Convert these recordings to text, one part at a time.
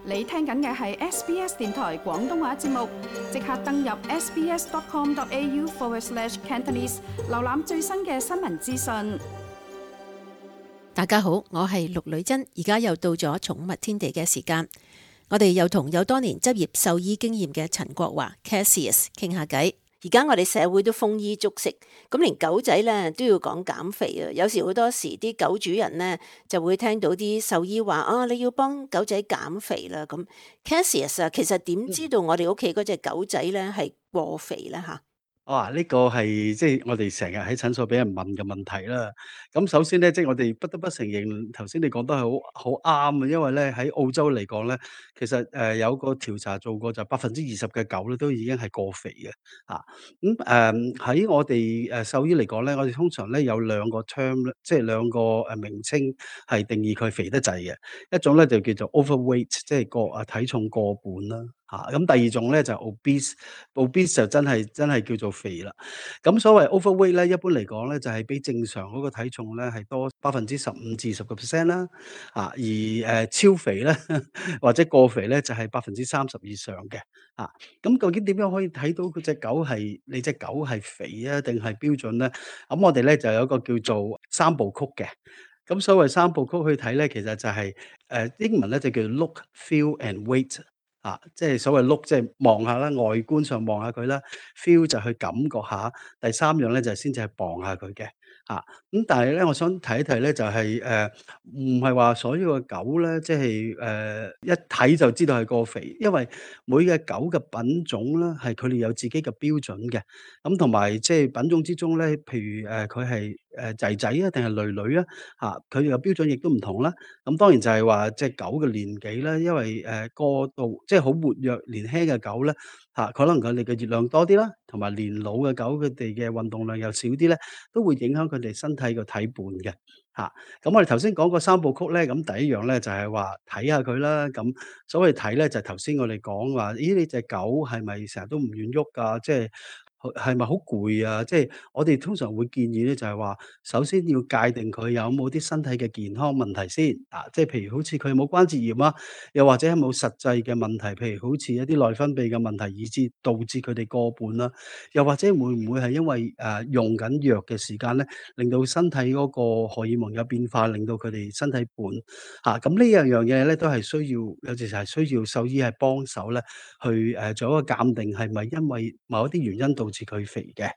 你聽緊嘅係 SBS 電台廣東話節目，即刻登入 sbs.com.au/cantonese 瀏覽最新嘅新聞資訊。大家好，我係陸女珍，而家又到咗寵物天地嘅時間，我哋又同有多年執業獸醫經驗嘅陳國華 Cassius 傾下偈。而家我哋社會都豐衣足食，咁連狗仔咧都要講減肥啊！有時好多時啲狗主人咧就會聽到啲獸醫話啊，你要幫狗仔減肥啦咁。Cassius 啊，其實點知道我哋屋企嗰隻狗仔咧係過肥咧嚇？呢個係即係我哋成日喺診所俾人問嘅問題啦。咁首先咧，即係我哋不得不承認，頭先你講得係好啱啊。因為咧喺澳洲嚟講咧，其實有個調查做過，就20%嘅狗咧都已經係過肥嘅。喺我哋獸醫嚟講咧，我哋通常咧有兩個 term 咧，即係兩個名稱係定義佢肥得滯嘅。一種咧就叫做 overweight，即係體重過半啦。咁第二種咧就係 obese 就真係叫做肥啦。咁所謂 overweight 咧，一般嚟講咧就係比正常嗰個體重咧係多15%至20%啦。而超肥咧或者過肥咧就係30%以上嘅。咁究竟點樣可以睇到你隻狗係肥啊定係標準咧？咁我哋咧就有一個叫做三部曲嘅。咁所謂三部曲去睇咧，其實就係英文咧就叫 look、feel and weight。即係所謂 look 即係望下啦，外觀上望下佢啦；feel 就去感覺下，第三樣咧就先至係磅下佢嘅。咁但係咧，我想提一提咧，就係唔係話所有嘅狗咧，即係一睇就知道係過肥，因為每隻狗嘅品種咧，係佢哋有自己嘅標準嘅。咁同埋即係品種之中咧，譬如佢係仔仔啊，定係女女啊，佢哋嘅標準亦都唔同啦。咁當然就係話隻狗嘅年紀啦，因為過度即係好活躍年輕嘅狗咧，可能佢哋嘅熱量多啲啦，同埋年老嘅狗佢哋嘅運動量又少啲咧，都會影響佢哋身體嘅體胖嘅。咁我哋頭先講過三部曲咧，咁第一樣咧就係話睇下佢啦。咁所謂睇咧，就係頭先我哋講話，咦，你隻狗係咪成日都唔願喐㗎？即係係咪好攰啊？即係我哋通常會建議咧，就係話首先要界定佢有冇啲身體嘅健康問題先。即係譬如好似佢有冇關節炎啊，又或者有冇實際嘅問題，譬如好似一啲內分泌嘅問題，以致導致佢哋過半啦。又或者會唔會係因為用緊藥嘅時間咧，令到身體嗰個荷爾蒙有變化，令到佢哋身體胖。咁呢樣嘢咧，都係有時係需要獸醫係幫手咧，去做一個鑑定，係咪因為某一啲原因導致佢肥嘅。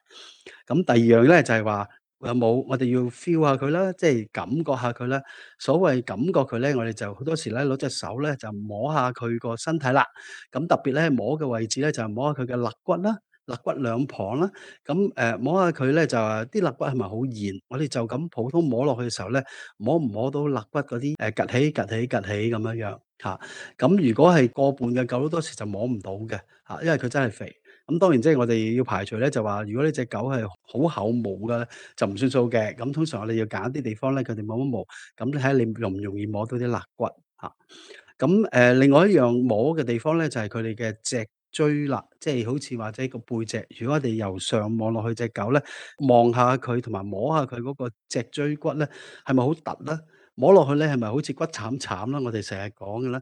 咁第二樣咧就係話有冇我哋要 feel 下佢啦，即係感覺下佢啦。所謂感覺佢咧，我哋就好多時咧攞隻手咧就摸下佢個身體啦。咁特別咧摸嘅位置咧就係摸下佢嘅肋骨啦。肋骨兩旁啦。咁摸下佢咧就話啲肋骨係咪好現？我哋就咁普通摸落去嘅時候咧，摸唔摸到肋骨嗰啲趌起趌起趌起咁樣樣。咁如果係過半嘅狗好多時就摸唔到嘅。因為佢真係肥。咁當然即係我哋要排除咧，就話如果呢隻狗係好厚毛嘅，就唔算數嘅。咁通常我哋要揀一啲地方咧，佢哋冇乜毛，咁你睇下你容唔容易摸到啲肋骨。咁另外一樣摸嘅地方咧，就係佢哋嘅脊椎啦，即係好似或者個背脊。如果我哋由上望落去隻狗咧，望下佢同埋摸下佢嗰個脊椎骨咧，係咪好突咧？摸落去咧，係咪好似骨慘慘啦？我哋成日講嘅啦。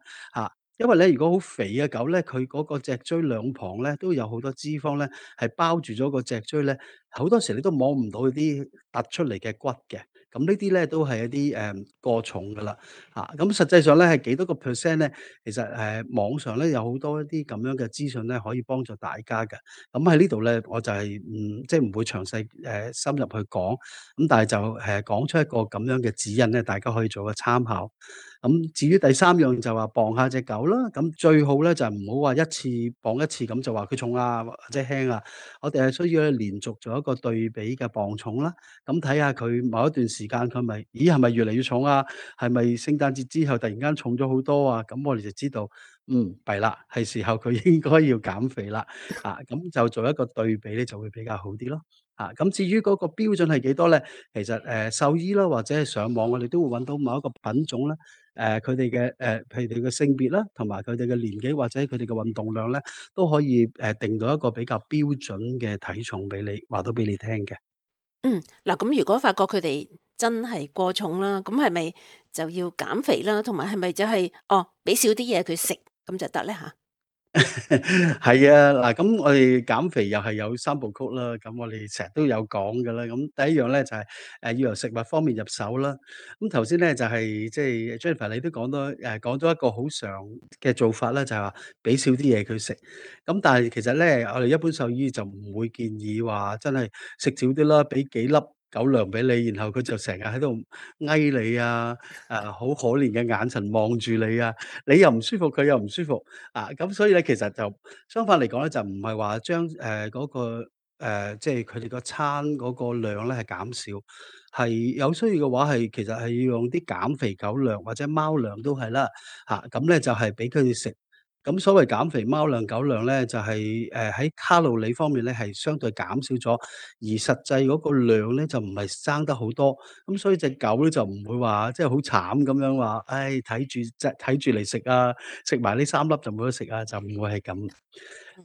因為咧，如果好肥嘅狗咧，佢嗰個脊椎兩旁咧都有好多脂肪咧，係包住咗個脊椎咧，好多時你都摸唔到啲突出嚟嘅骨嘅。咁呢啲咧都係一啲過重噶啦。咁實際上咧係幾多個 percent 咧？其實網上咧有好多一啲咁樣嘅資訊咧，可以幫助大家嘅。咁喺呢度咧，我就係即係唔會詳細深入去講。咁但係就講出一個咁樣嘅指引咧，大家可以做個參考。咁至於第三樣就話磅下隻狗啦。咁最好咧就唔好話一次磅一次咁就話佢重啊或者輕啊。我哋係需要咧連續做一個對比嘅磅重啦。咁睇下佢某一段時間佢係咪越嚟越重啊？係咪聖誕節之後突然間重咗好多啊？咁我哋就知道，弊啦，係時候佢應該要減肥啦。咁就做一個對比咧就會比較好啲咯。咁至於嗰個標準係幾多咧？其實獸醫啦或者係上網，我哋都會揾到某一個品種啦。佢哋嘅譬如佢嘅性別啦，同埋佢哋嘅年紀或者佢哋嘅運動量咧，都可以定到一個比較標準嘅體重俾你，話到俾你聽嘅。嗱，咁如果發覺佢哋真係過重啦，咁係咪就要減肥啦？同埋係咪就係俾少啲嘢佢食，咁就得咧嚇？係啊，嗱，咁我哋減肥又係有三部曲啦，咁我哋成日都有講㗎啦。咁第一樣咧就係要由食物方面入手啦。咁頭先咧就係即係 Jennifer 你都講咗一個好常嘅做法啦，就係話俾少啲嘢佢食。咁但係其實咧，我哋一般獸醫就唔會建議話真係食少啲啦，俾幾粒狗糧俾你，然後佢就成日喺度翳你啊，好可憐嘅眼神望住你啊，你又唔舒服，佢又唔舒服。咁所以咧，其實就相反嚟講咧，就唔係話將嗰個即係佢哋個餐嗰個量咧係減少，係有需要嘅話其實係要用啲減肥狗糧或者貓糧都係啦，咁咧就係俾佢哋食。咁所謂減肥貓糧、狗糧咧，就係喺卡路里方面咧係相對減少咗，而實際嗰個量咧就唔係爭得好多。咁所以隻狗咧就唔會話即係好慘咁樣話，唉睇住嚟食啊，食埋呢3粒就冇得食啊，就唔會係咁。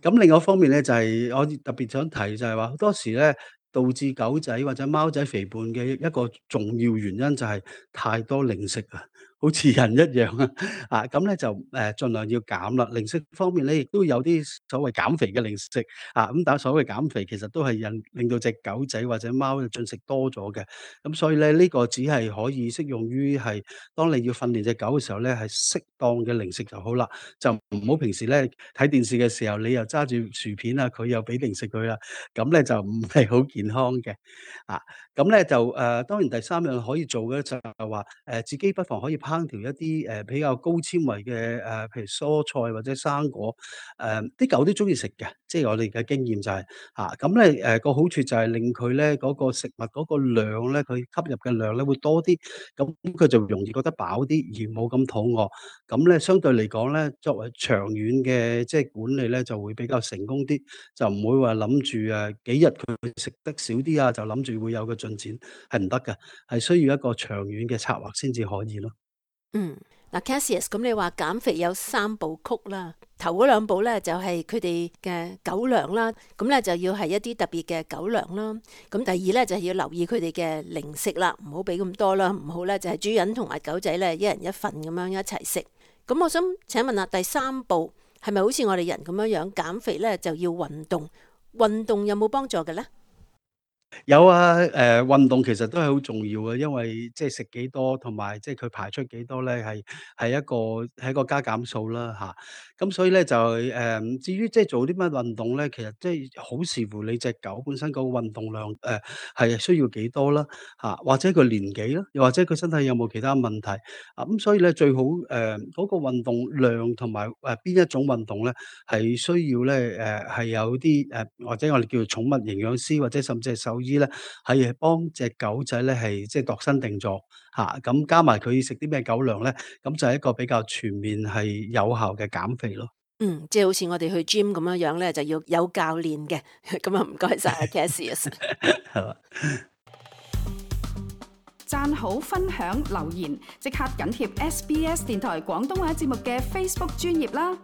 咁另外一方面咧，就係我特別想提就係話好多時咧，導致狗仔或者貓仔肥胖嘅一個重要原因就係太多零食啊，好似人一樣啊。咁咧就盡量要減啦。零食方面咧，亦都有啲所謂減肥嘅零食，咁但係所謂減肥其實都係令到隻狗仔或者貓嘅進食多咗嘅。咁所以咧，呢個只係可以適用於係當你要訓練隻狗嘅時候咧，係適當嘅零食就好啦。就唔好平時咧睇電視嘅時候，你又揸住薯片啊，佢又俾零食佢啦，咁咧就唔係好健康嘅。啊，咁咧就當然第三樣可以做嘅就係話，自己不妨可以烹調一啲比較高纖維嘅譬如蔬菜或者生果，啲狗都中意食嘅，即係我哋嘅經驗就係咁咧個好處就係令佢咧嗰個食物嗰個量咧，佢吸入嘅量咧會多啲，咁佢就容易覺得飽啲，而冇咁肚餓。咁咧相對嚟講咧，作為長遠嘅即係管理咧，就會比較成功啲，就唔會話諗住幾日佢食得少啲啊，就諗住會有個進展，係唔得嘅，係需要一個長遠嘅策劃先至可以咯。嗯，嗱，Cassius，咁你話減肥有3部曲啦，頭嗰2步咧就係佢哋嘅狗糧啦，咁咧就要係一啲特別嘅狗糧啦。咁第二咧就係要留意佢哋嘅零食啦，唔好俾咁多啦，唔好咧就係主人同埋狗仔咧一人一份咁樣一齊食。咁我想請問下第3步係咪好似我哋人咁樣減肥咧就要運動？運動有冇幫助嘅咧？有啊，運動其實都係好重要嘅，因為即係食幾多同埋即係佢排出幾多咧，係一個加減數啦咁所以咧就至於即係做啲乜運動咧，其實即係好視乎你隻狗本身個運動量係需要幾多啦或者佢年紀啦，又或者佢身體有冇其他問題咁所以咧最好嗰個運動量同埋邊一種運動咧係需要咧係有啲或者我哋叫做寵物營養師或者甚至係獸醫咧，係幫隻狗仔咧係即係度身訂造咁加埋佢食啲咩狗糧咧，咁就係一個比較全面係有效嘅減肥咯。即係好似我哋去 gym 咁樣咧，就要有教練嘅。咁啊，唔該晒 Cassius。係嘛？讚好、分享、留言，即刻緊貼SBS 電台廣東話節目嘅 Facebook 專頁啦！